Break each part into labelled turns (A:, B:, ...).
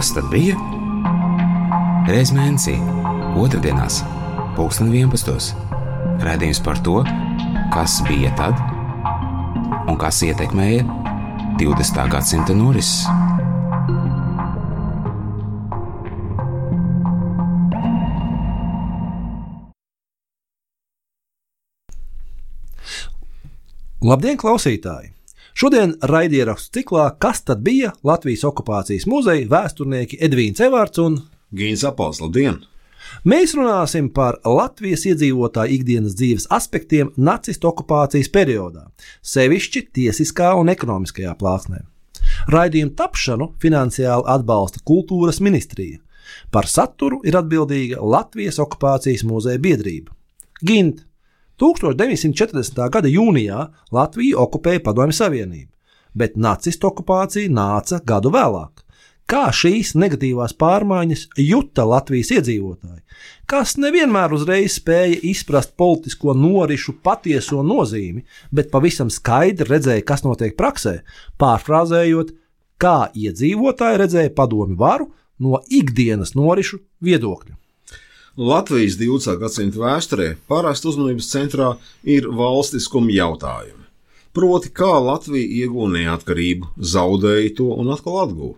A: Kas tad bija? Reiz mēnesī, otrdienās, 11. Raidījums par to, kas bija tad un kas ietekmēja 20. gadsimta norises.
B: Labdien, klausītāji! Šodien raidierakstu ciklā Kas tad bija Latvijas okupācijas muzeja vēsturnieki Edvīns Evārds un
C: Gīns Apals. Labdien!
B: Mēs runāsim par Latvijas iedzīvotāju ikdienas dzīves aspektiem nacistu okupācijas periodā, sevišķi tiesiskā un ekonomiskajā plāksnē. Raidījumu tapšanu finansiāli atbalsta Kultūras ministrija. Par saturu ir atbildīga Latvijas okupācijas muzeja biedrība. Gint. 1940. gada jūnijā Latviju okupēja Padomju Savienība, bet nacistu okupācija nāca gadu vēlāk. Kā šīs negatīvās pārmaiņas juta Latvijas iedzīvotāji, kas nevienmēr uzreiz spēja izprast politisko norišu patieso nozīmi, bet pavisam skaidri redzēja, kas notiek praksē, pārfrāzējot, kā iedzīvotāji redzēja padomju varu no ikdienas norišu viedokļa.
C: Latvijas 20. gadsimta vēsturē parasti uzmanības centrā ir valstiskuma jautājumi. Proti, kā Latvija ieguva neatkarību, zaudēja to un atkal atguva.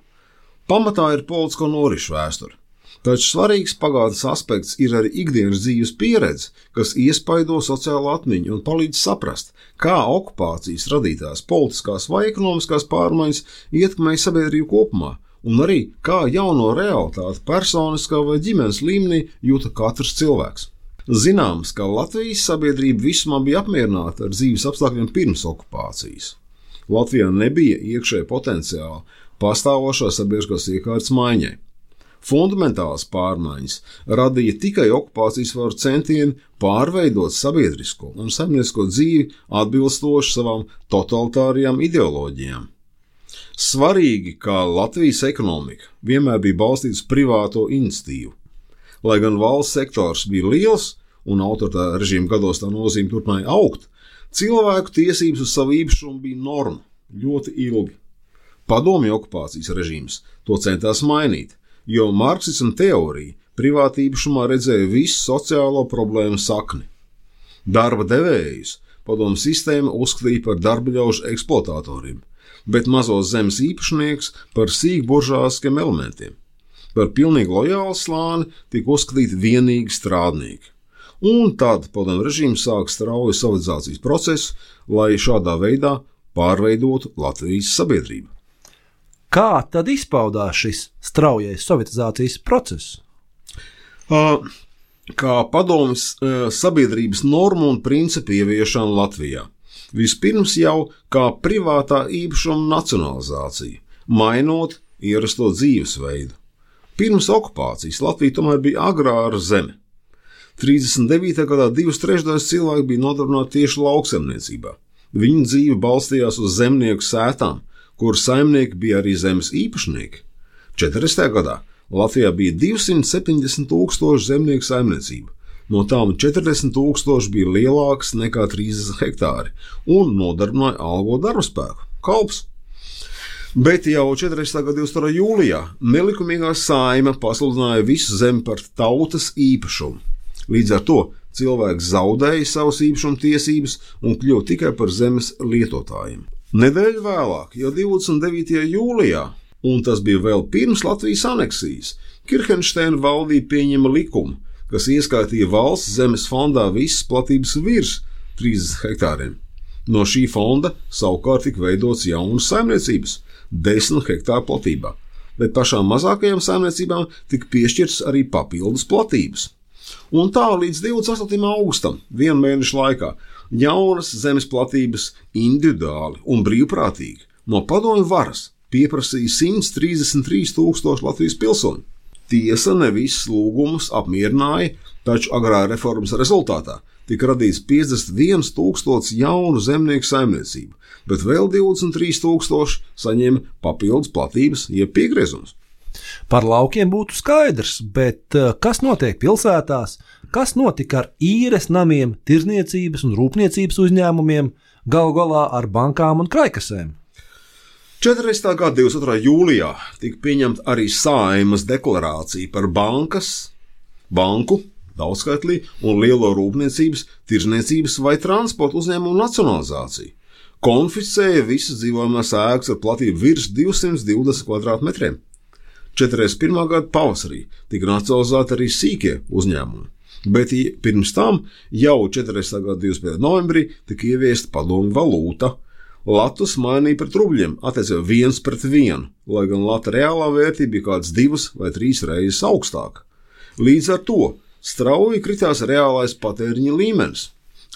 C: Pamatā ir politisko norišu vēsture, taču svarīgs pagātnes aspekts ir arī ikdienas dzīves pieredze, kas iespaido sociālo atmiņu un palīdz saprast, kā okupācijas radītās politiskās vai ekonomiskās pārmaiņas ietekmēja sabiedrību kopumā, un arī kā jauno realitāti personiskā vai ģimenes līmenī jūta katrs cilvēks. Zināms, ka Latvijas sabiedrība visumā bija apmierināta ar dzīves apstākļiem pirms okupācijas. Latvijā nebija iekšēja potenciāla pastāvošā sabiedriskās iekārtas maiņai. Fundamentālas pārmaiņas radīja tikai okupācijas varu centieni pārveidot sabiedrisko un saimniecisko dzīvi atbilstoši savām totalitārijām ideoloģijām. Svarīgi, ka Latvijas ekonomika vienmēr bija balstīta uz privāto iniciatīvu. Lai gan valsts sektors bija liels un autoritāra režīma gados tā nozīme turpināja augt, cilvēku tiesības uz savu īpašumu bija norma ļoti ilgi. Padomju okupācijas režīms to centās mainīt, jo marksisma teorija privāta īpašumā redzēja visu sociālo problēmu sakni. Darba devējus padomju sistēma uzskatīja par darbaļaužu eksploatatoriem, bet mazos zemes īpašnieks par sīkburžāskiem elementiem. Par pilnīgi lojālu slāni tika uzskatīti vienīgi strādnieki. Un tad padomju režīms sāka strauju sovietizācijas procesu, lai šādā veidā pārveidotu Latvijas sabiedrību.
B: Kā tad izpaudās šis straujais sovietizācijas process?
C: Kā padomju sabiedrības normu un principu ieviešana Latvijā. Vispirms jau kā privātā īpašuma nacionalizācija, mainot ierasto dzīvesveidu. Pirms okupācijas Latvija tomēr bija agrāra zeme. 39. gadā 2/3 cilvēki bija nodarbināti tieši lauksaimniecībā. Viņu dzīve balstījās uz zemnieku sētām, kur saimnieki bija arī zemes īpašnieki. 40. gadā Latvijā bija 270 000 zemnieku saimniecība. No tām 40 000 bija lielākas nekā 30 hektāri un nodarbināja algo darbspēku – kalps. Bet jau 40. gada 22. jūlijā nelikumīgā saime pasludināja visu zemi par tautas īpašumu. Līdz ar to cilvēks zaudēja savas īpašuma tiesības un kļuva tikai par zemes lietotājiem. Nedēļu vēlāk, jau 29. jūlijā, un tas bija vēl pirms Latvijas aneksijas, Kirhenšteina valdība pieņēma likumu, kas ieskaitīja valsts zemes fondā visas platības virs 30 hektāriem. No šī fonda savukārt tika veidots jaunas saimniecības 10 hektāru platībā, bet pašām mazākajām saimniecībām tika piešķirtas arī papildus platības. Un tā līdz 28. augustam, vienu mēnešu laikā, jaunas zemes platības individuāli un brīvprātīgi no padomju varas pieprasīja 133 000 Latvijas pilsoņu. Tiesa ne visus lūgumus apmierināja, taču agrā reformas rezultātā tika radīts 51 000 jaunu zemnieku saimniecību, bet vēl 23 000 saņēma papildus platības jeb piegriezums.
B: Par laukiem būtu skaidrs, bet kas notiek pilsētās, kas notika ar īres namiem, tirzniecības un rūpniecības uzņēmumiem, galu galā ar bankām un kraikasēm?
C: 40. gada 22. jūlijā tika pieņemta arī Saeimas deklarācija par banku, daudzskaitlī un lielo rūpniecības, tirzniecības vai transporta uzņēmumu nacionalizāciju. Konfiscēja visas dzīvojamās ēkas ar platību virs 220 kvadrātmetriem. 41. gada pavasarī tika nacionalizēti arī sīkie uzņēmumi, bet pirms tam jau 40. gada 25. novembrī tika ieviesta padomju valūta. Latus mainīja pret rubļiem, attiecībā 1:1, lai gan lata reālā vērtība bija kādas 2 vai 3 reizes augstāka. Līdz ar to strauji kritās reālais patēriņa līmenis.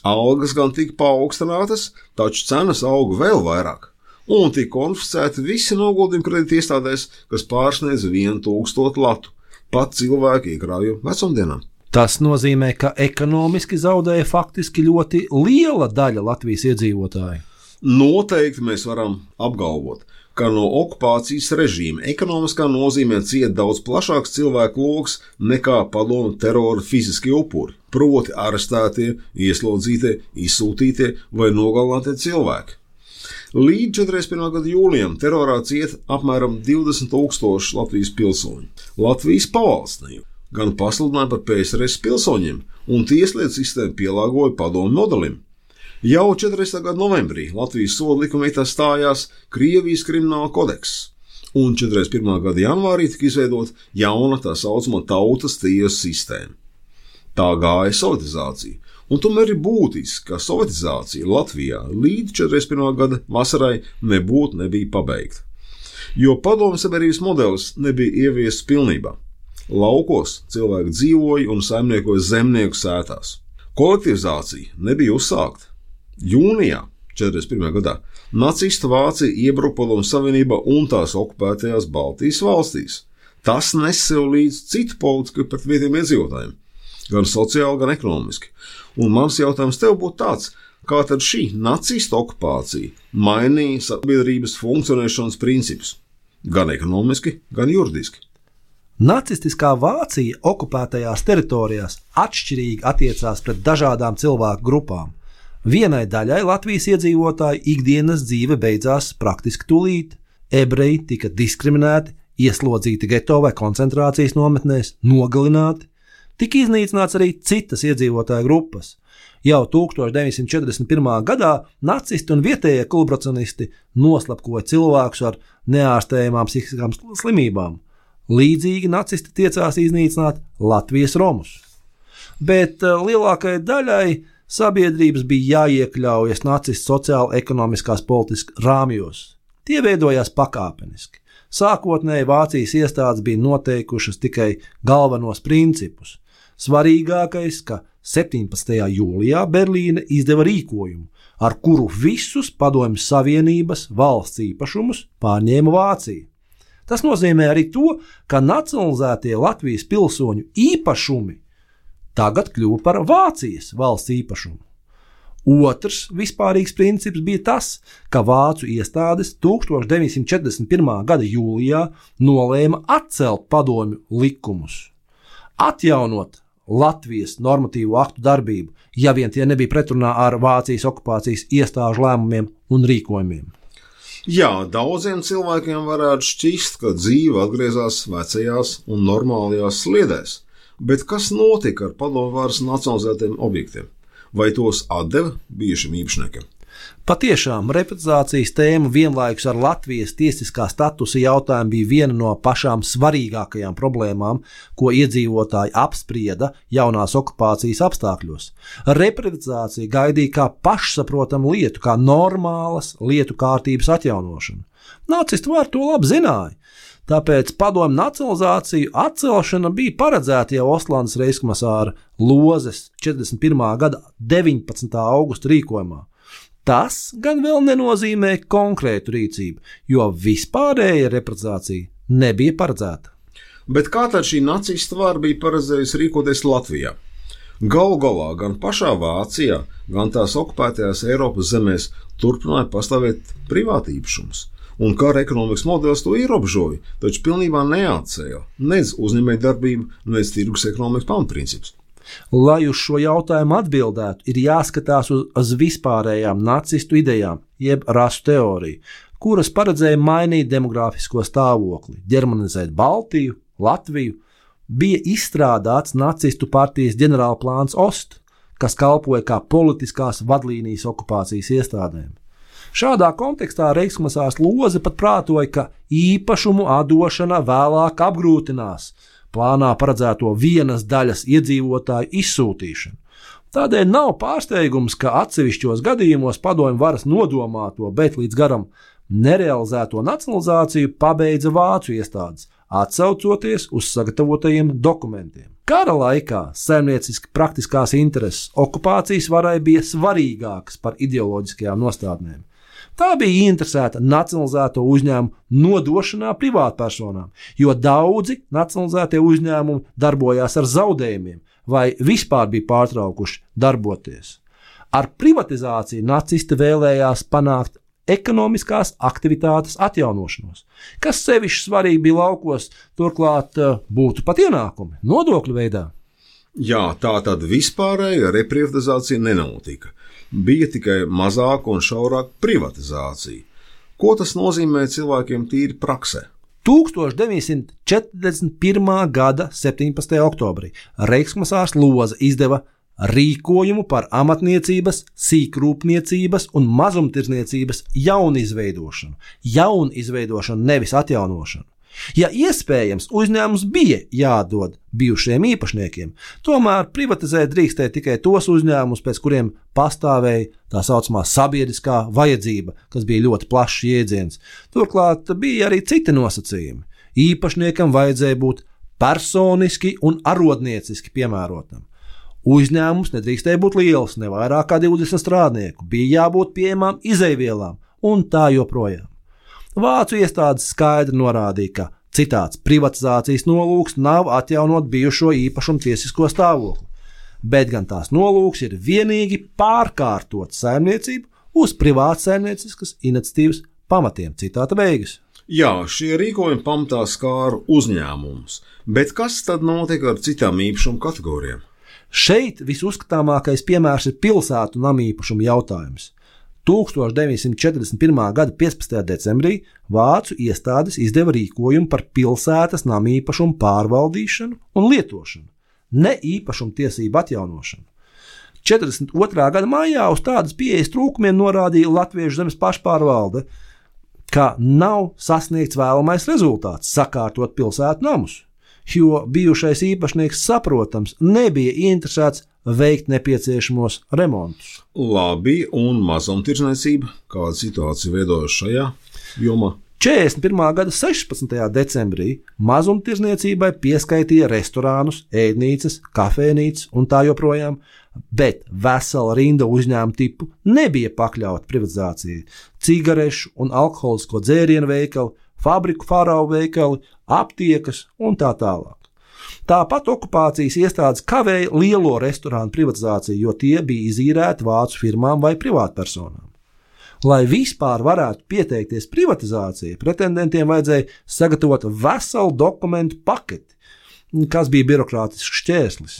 C: Algas gan tika paaugstinātas, taču cenas auga vēl vairāk, un tika konfiscēti visi noguldījumi kredīta iestādēs, kas pārsniedz 1000 latu, pat cilvēku iekrājumu vecumdienām.
B: Tas nozīmē, ka ekonomiski zaudēja faktiski ļoti liela daļa Latvijas iedzīvotāju.
C: Noteikti mēs varam apgalvot, ka no okupācijas režīma ekonomiskā nozīmē cieta daudz plašāks cilvēku loks nekā padomu terora fiziskie upuri, proti arestētie, ieslodzītie, izsūtītie vai nogalinātie cilvēki. Līdz 41. gada jūlijam terorā cieta apmēram 20 000 Latvijas pilsoņu. Latvijas pavalsnība gan pasludināja par PSRS pilsoņiem, un tieslietu sistēma pielāgoja padomu modelim. Jau 40. gada novembrī Latvijas soda likumvietā stājās Krievijas krimināla kodeks, un 41. gada janvārī tika izveidota jauna tā saucamā tautas tiesu sistēma. Tā gāja sovietizācija, un tomēr ir būtiski, ka sovietizācija Latvijā līdz 41. gada vasarai nebija pabeigta, jo padomju sabiedrības modelis nebija ieviests pilnībā. Laukos cilvēki dzīvoja un saimniekoja zemnieku sētās. Kolektivizācija nebija uzsākta. Jūnijā 41. gadā nacistu Vācija iebruka Padomju Savienībā un tās okupētajās Baltijas valstīs. Tas nes sev līdz citu politiku pret vietējiem iedzīvotājiem, gan sociāli, gan ekonomiski. Un mans jautājums tev būtu tāds, kā tad šī nacistu okupācija mainīja sabiedrības funkcionēšanas principus, gan ekonomiski, gan juridiski?
B: Nacistiskā Vācija okupētajās teritorijās atšķirīgi attiecās pret dažādām cilvēku grupām. Vienai daļai Latvijas iedzīvotāju ikdienas dzīve beidzās praktiski tūlīt. Ebreji tika diskriminēti, ieslodzīti geto vai koncentrācijas nometnēs, nogalināti. Tika iznīcināts arī citas iedzīvotāju grupas. Jau 1941. gadā nacisti un vietējie kolaborācionisti noslapkoja cilvēkus ar neārstējamām psihiskām slimībām. Līdzīgi nacisti tiecās iznīcināt Latvijas romus. Bet lielākajai daļai sabiedrības bija jāiekļaujas nacistu sociāli-ekonomiskās politiskas rāmjos. Tie veidojās pakāpeniski. Sākotnēji Vācijas iestādes bija noteikušas tikai galvenos principus. Svarīgākais, ka 17. jūlijā Berlīne izdeva rīkojumu, ar kuru visus Padomju Savienības valsts īpašumus pārņēma Vācija. Tas nozīmē arī to, ka nacionalizētie Latvijas pilsoņu īpašumi tagad kļuva par Vācijas valsts īpašumu. Otrs vispārīgs princips bija tas, ka vācu iestādes 1941. gada jūlijā nolēma atcelt padomju likumus, atjaunot Latvijas normatīvo aktu darbību, ja vien tie nebija pretrunā ar Vācijas okupācijas iestāžu lēmumiem un rīkojumiem.
C: Jā, daudziem cilvēkiem varētu šķist, ka dzīve atgriezās vecajās un normālajās sliedēs. Bet kas notika ar padomju varas nacionalizētiem objektiem? Vai tos atdeva bijušiem īpašniekiem?
B: Patiešām repatriācijas tēma vienlaikus ar Latvijas tiesiskā statusa jautājumu bija viena no pašām svarīgākajām problēmām, ko iedzīvotāji apsprieda jaunās okupācijas apstākļos. Repatriācija gaidīja kā pašsaprotamu lietu, kā normālas lietu kārtības atjaunošanu. Nacisti var to labi zināja. Tāpēc padomju nacionalizāciju atcelšana bija paredzēta jau Ostlandes reichskomisāra Lozes 41. gada 19. augusta rīkojumā. Tas gan vēl nenozīmē konkrētu rīcību, jo vispārēja repatriācija nebija paredzēta.
C: Bet kā tad šī nacistu vara bija paredzējusi rīkoties Latvijā? Galu galā gan pašā Vācijā, gan tās okupētajās Eiropas zemēs turpināja pastāvēt privātīpašums. Un kara ekonomikas modelis to ierobežoja, taču pilnībā neatcēla nec uzņēmējdarbību, nec tirgus ekonomikas pamatprincipus.
B: Lai uz šo jautājumu atbildētu, ir jāskatās uz vispārējām nacistu idejām, jeb rasu teoriju, kuras paredzēja mainīt demogrāfisko stāvokli, ģermanizēt Baltiju, Latviju, bija izstrādāts nacistu partijas ģenerālplāns Ost, kas kalpoja kā politiskās vadlīnijas okupācijas iestādēm. Šādā kontekstā reichskomisārs Loze pat prātoja, ka īpašumu atdošana vēlāk apgrūtinās plānā paredzēto vienas daļas iedzīvotāju izsūtīšanu. Tādēļ nav pārsteigums, ka atsevišķos gadījumos padomju varas nodomāto, bet līdz garam nerealizēto nacionalizāciju pabeidza vācu iestādes, atsaucoties uz sagatavotajiem dokumentiem. Kara laikā saimnieciski praktiskās intereses okupācijas varai bija svarīgākas par ideoloģiskajām nostādnēm. Tā bija interesēta nacionalizēto uzņēmumu nodošanā privātpersonām, jo daudzi nacionalizētie uzņēmumi darbojās ar zaudējumiem vai vispār bija pārtraukuši darboties. Ar privatizāciju nacisti vēlējās panākt ekonomiskās aktivitātes atjaunošanos, kas sevišķi svarīgi bija laukos, turklāt būtu pat ienākumi nodokļu veidā.
C: Jā, tā tad vispārēja reprivatizācija nenotika. Bija tikai mazāka un šaurāka privatizācija. Ko tas nozīmē cilvēkiem tīri praksē?
B: 1941. gada 17. oktobrī reichskomisārs Loze izdeva rīkojumu par amatniecības, sīkrūpniecības un mazumtirdzniecības jaunizveidošanu. Jaunizveidošanu, nevis atjaunošanu. Ja iespējams, uzņēmums bija jādod bijušajiem īpašniekiem, tomēr privatizēt drīkstēja tikai tos uzņēmumus, pēc kuriem pastāvēja tā saucamā sabiedriskā vajadzība, kas bija ļoti plašs jēdziens. Turklāt bija arī citi nosacījumi. Īpašniekam vajadzēja būt personiski un arodnieciski piemērotam. Uzņēmums nedrīkstēja būt liels, ne vairāk kā 20 strādnieku, bija jābūt pieejamām izejvielām un tā joprojām. Vācu iestādes skaidri norādīja, ka citāts privatizācijas nolūks nav atjaunot bijušo īpašumu tiesisko stāvokli, bet gan tās nolūks ir vienīgi pārkārtot saimniecību uz privātsaimnieciskas iniciatīvas pamatiem. Citāta beigas.
C: Jā, šie rīkojumi pamatā skāra uzņēmumus, bet kas tad notika ar citām īpašumu kategorijām?
B: Šeit visuzskatāmākais piemērs ir pilsētu namīpašumu jautājums. 1941. gada 15. decembrī vācu iestādes izdeva rīkojumu par pilsētas namīpašumu pārvaldīšanu un lietošanu, ne īpašumu tiesību atjaunošanu. 42. gada maijā uz tādas pieejas trūkumiem norādīja Latviešu zemes pašpārvalde, ka nav sasniegts vēlamais rezultāts sakārtot pilsētu namus, jo bijušais īpašnieks saprotams nebija interesēts veikt nepieciešamos remontus.
C: Labi, un mazumtirdzniecība, kāda situācija veidojas šajā jomā?
B: 41. gada 16. decembrī mazumtirdzniecībai pieskaitīja restorānus, ēdnīcas, kafejnīcas un tā joprojām, bet vesela rinda uzņēmumu tipu nebija pakļauta privatizācijai. Cigarešu un alkoholisko dzērienu veikali, fabriku farau veikali, aptiekas un tā tālāk. Tāpat okupācijas iestādes kavēja lielo restorānu privatizāciju, jo tie bija izīrēti vācu firmām vai privātpersonām. Lai vispār varētu pieteikties privatizācijai, pretendentiem vajadzēja sagatavot veselu dokumentu paketi, kas bija birokrātisks šķērslis.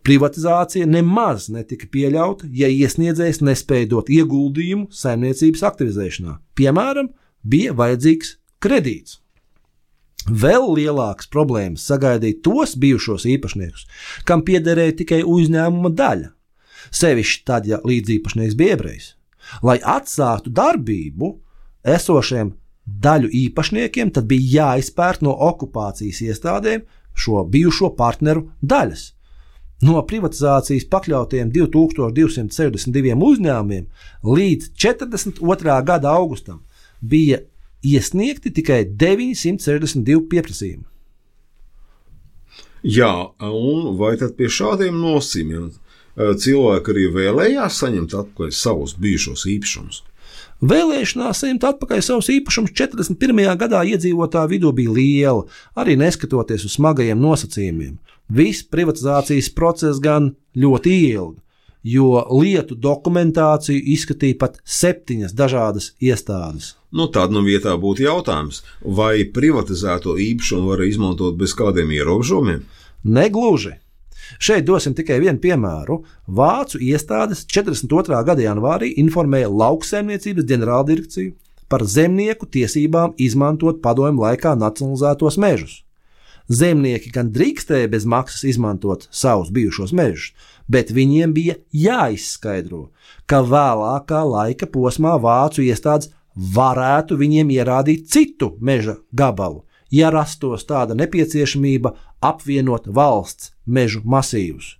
B: Privatizācija nemaz netika pieļauta, ja iesniedzējs nespēja dot ieguldījumu saimniecības aktivizēšanā. Piemēram, bija vajadzīgs kredīts. Vēl lielākas problēmas sagaidīja tos bijušos īpašniekus, kam piederēja tikai uzņēmuma daļa, sevišķi tad, ja līdziepašnieks bija ebrejs. Lai atsāktu darbību esošiem daļu īpašniekiem, tad bija jāizpērt no okupācijas iestādēm šo bijušo partneru daļas. No privatizācijas pakļautiem 2262 uzņēmumiem līdz 42. gada augustam bija iesniegti tikai 962 pieprasījumi.
C: Jā, un vai tad pie šādiem nosacījumiem cilvēki arī vēlējās saņemt atpakaļ savus bijušos īpašumus?
B: Vēlēšanās saņemt atpakaļ savus īpašumus 41. gadā iedzīvotāju vidū bija liela, arī neskatoties uz smagajiem nosacījumiem. Viss privatizācijas process gan ļoti ilgi, jo lietu dokumentāciju izskatīja pat 7 dažādas iestādes.
C: Tad vietā būtu jautājums, vai privatizēto īpašumu var izmantot bez kādiem ierobežojumiem?
B: Negluži. Šeit dosim tikai vienu piemēru. Vācu iestādes 42. gada janvārī informēja lauksaimniecības ģenerāldirekciju, par zemnieku tiesībām izmantot padomju laikā nacionalizētos mežus. Zemnieki gan drīkstēja bez maksas izmantot savus bijušos mežus, bet viņiem bija jāizskaidro, ka vēlākā laika posmā vācu iestādes varētu viņiem ierādīt citu meža gabalu, ja rastos tāda nepieciešamība apvienot valsts mežu masīvus.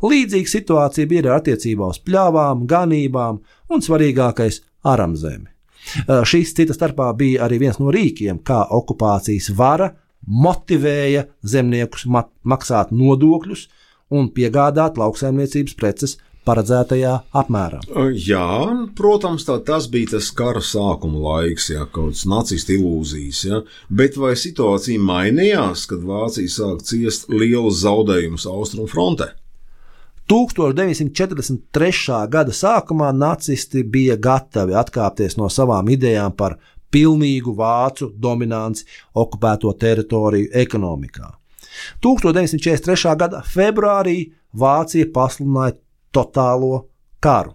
B: Līdzīga situācija bija arī attiecībā uz pļavām, ganībām un svarīgākais aramzemi. Šis cita starpā bija arī viens no rīkiem, kā okupācijas vara motivēja zemniekus maksāt nodokļus un piegādāt lauksaimniecības preces paredzētajā apmērā.
C: Jā, protams, tas bija tas kara sākuma laiks, kaut kāds nacistu ilūzijas, bet vai situācija mainījās, kad Vācija sāk ciest lielus zaudējumus Austrumu frontē?
B: 1943. gada sākumā nacisti bija gatavi atkāpties no savām idejām par pilnīgu vācu dominanci okupēto teritoriju ekonomikā. 1943. gada februārī Vācija pasludināja totālo karu.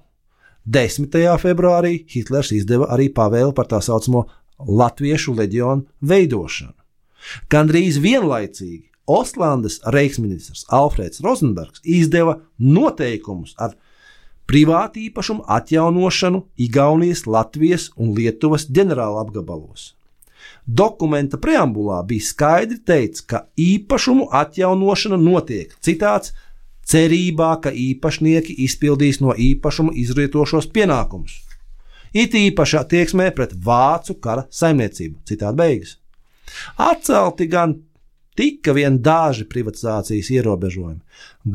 B: 10. februārī Hitlers izdeva arī pavēli par tā saucamo Latviešu leģionu veidošanu. Gandrīz vienlaicīgi Ostlandes reichsministrs Alfrēds Rozenbergs izdeva noteikumus ar privātīpašumu atjaunošanu Igaunijas, Latvijas un Lietuvas ģenerāla apgabalos. Dokumenta preambulā bija skaidri teikts, ka īpašumu atjaunošana notiek, citāts, cerībā, ka īpašnieki izpildīs no īpašuma izrietošos pienākumus. It īpaši attieksmē pret vācu kara saimniecību, citāta beigas. Atcelti gan tika vien daži privatizācijas ierobežojumi.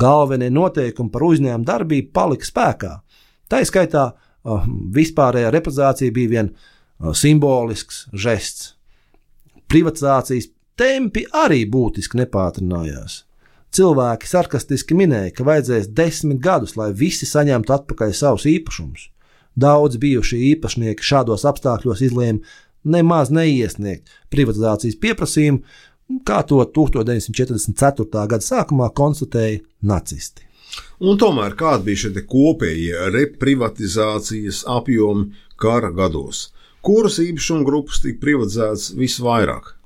B: Galvenie noteikumi par uzņēmumu darbību palika spēkā. Tā skaitā vispārējā reprivatizācija bija vien simbolisks žests. Privatizācijas tempi arī būtiski nepātrinājās. Cilvēki sarkastiski minēja, ka vajadzēs 10 gadus, lai visi saņemtu atpakaļ savus īpašumus. Daudz bijušie īpašnieki šādos apstākļos izlēma nemaz neiesniegt privatizācijas pieprasījumu, kā to 1944. gada sākumā konstatēja nacisti.
C: Un tomēr kādi bija šie kopējie reprivatizācijas apjomi kara gados? Kuras īpašumu grupas tika privatizētas visvairāk?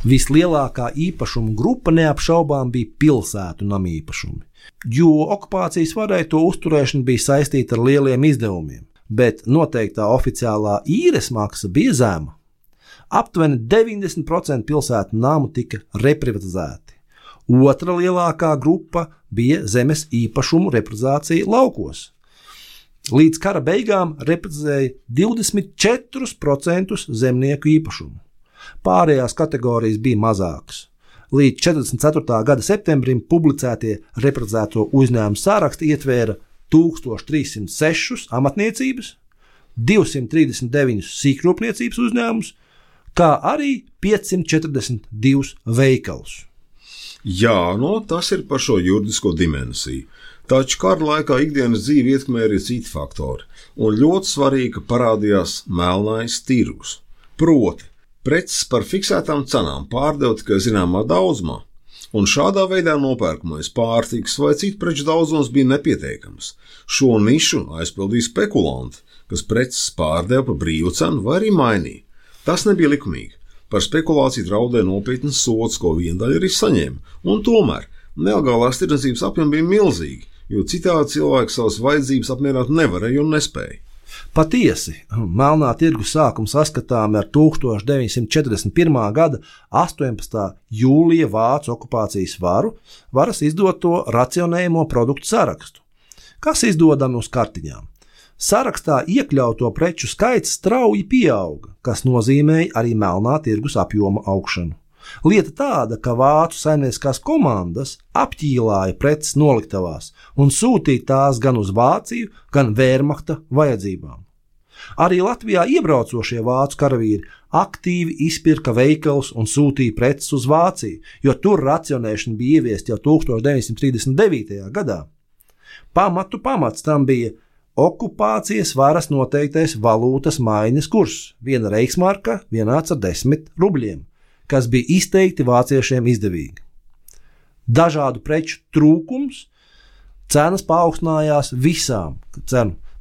B: Vislielākā īpašumu grupa neapšaubām bija pilsētu namīpašumi, jo okupācijas varai to uzturēšana bija saistīta ar lieliem izdevumiem, bet noteiktā oficiālā īres maksa bija zema. Aptuveni 90% pilsētu namu tika reprivatizēti. Otra lielākā grupa bija zemes īpašumu reprivatizācija laukos. Līdz kara beigām reprivatizēja 24% zemnieku īpašumu. Pārējās kategorijas bija mazākas. Līdz 44. gada septembrim publicētie reprivatizēto uzņēmumu sāraksti ietvēra 1306 amatniecības, 239 sīkrūpniecības uzņēmumus, kā arī 542 veikalus.
C: Jā, tas ir par šo juridisko dimensiju. Taču kara laikā ikdienas dzīvi ietekmē arī citi faktori, un ļoti svarīgi, ka parādījās melnais tirgus. Proti, preces par fiksētām cenām pārdeva tikai zināmā daudzumā, un šādā veidā nopērkamais pārtikas vai citu preču daudzums bija nepietiekams. Šo nišu aizpildīja spekulanti, kas preces pārdeva par brīvu cenu vai arī mainīja. Tas nebija likumīgi. Par spekulāciju draudēja nopietnas sods, ko viena daļa arī saņēma, un tomēr nelegālās tirdzniecības apjomi bija milzīgi, jo citādi cilvēki savas vajadzības apmierināt nevarēja un nespēja.
B: Patiesi, melnā tirgus sākums saskatām ar 1941. gada 18. jūlija vācu okupācijas varas izdoto racionējumu produktu sarakstu, kas izdodami uz kartiņām. Sarakstā iekļauto preču skaits strauji pieauga, kas nozīmēja arī melnā tirgus apjoma augšanu. Lieta tāda, ka vācu saimnieciskās komandas apķīlāja preces noliktavās un sūtīja tās gan uz Vāciju, gan Wehrmachta vajadzībām. Arī Latvijā iebraucošie vācu karavīri aktīvi izpirka veikalus un sūtīja preces uz Vāciju, jo tur racionēšana bija ieviesta jau 1939. gadā. Pamats tam bija okupācijas varas noteiktais valūtas maiņas kurs. Viena reichsmarka vienāds ar 10 rubļiem, kas bija izteikti vāciešiem izdevīgi. Dažādu preču trūkums, cenas paaugstinājās visām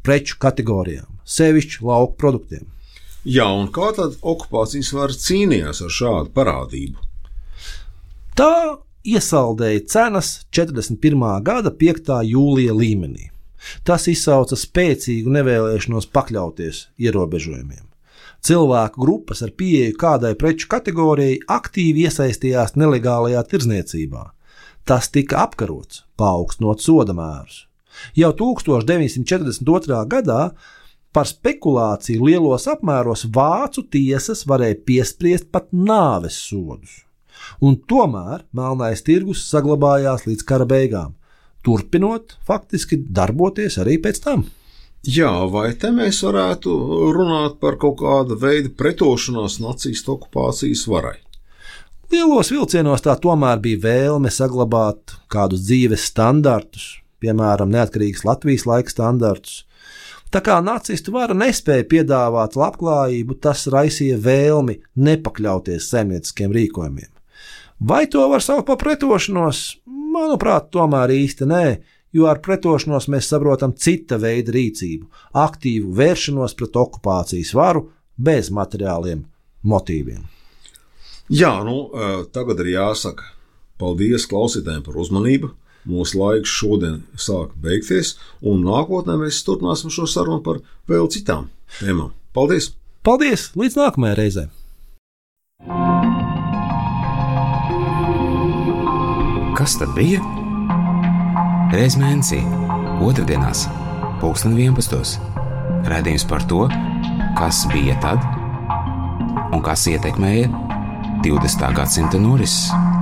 B: preču kategorijām, sevišķi lauku produktiem.
C: Jā, un kā tad okupācijas vara cīnījās ar šādu parādību?
B: Tā iesaldēja cenas 41. gada 5. jūlija līmenī. Tas izsauca spēcīgu nevēlēšanos pakļauties ierobežojumiem. Cilvēku grupas ar pieeju kādai preču kategorijai aktīvi iesaistījās nelegālajā tirdzniecībā. Tas tika apkarots, paaugstinot sodamērus. Jau 1942. gadā par spekulāciju lielos apmēros vācu tiesas varēja piespriest pat nāves sodus. Un tomēr melnais tirgus saglabājās līdz kara beigām, turpinot faktiski darboties arī pēc tam.
C: Jā, vai te mēs varētu runāt par kaut kādu veidu pretošanos nacistu okupācijas varai?
B: Lielos vilcienos tā tomēr bija vēlme saglabāt kādus dzīves standartus, piemēram, neatkarīgas Latvijas laika standartus. Tā kā nacistu vara nespēja piedāvāt labklājību, tas raisīja vēlmi nepakļauties saimnieciskiem rīkojumiem. Vai to var saukt par pretošanos? Manuprāt, tomēr īsti nē, jo ar pretošanos mēs saprotam cita veida rīcību, aktīvu vēršanos pret okupācijas varu bez materiāliem motīviem.
C: Jā, tagad ir jāsaka paldies klausītājiem par uzmanību. Mūsu laiks šodien sāk beigties, un nākotnē mēs turpināsim šo sarunu par vēl citām tēmām. Paldies!
B: Paldies! Līdz nākamajai reizei!
A: Kas tad bija? Reiz mēnesī, otrdienās, 2011. Raidījums par to, kas bija tad un kas ietekmēja 20. gadsimta norises.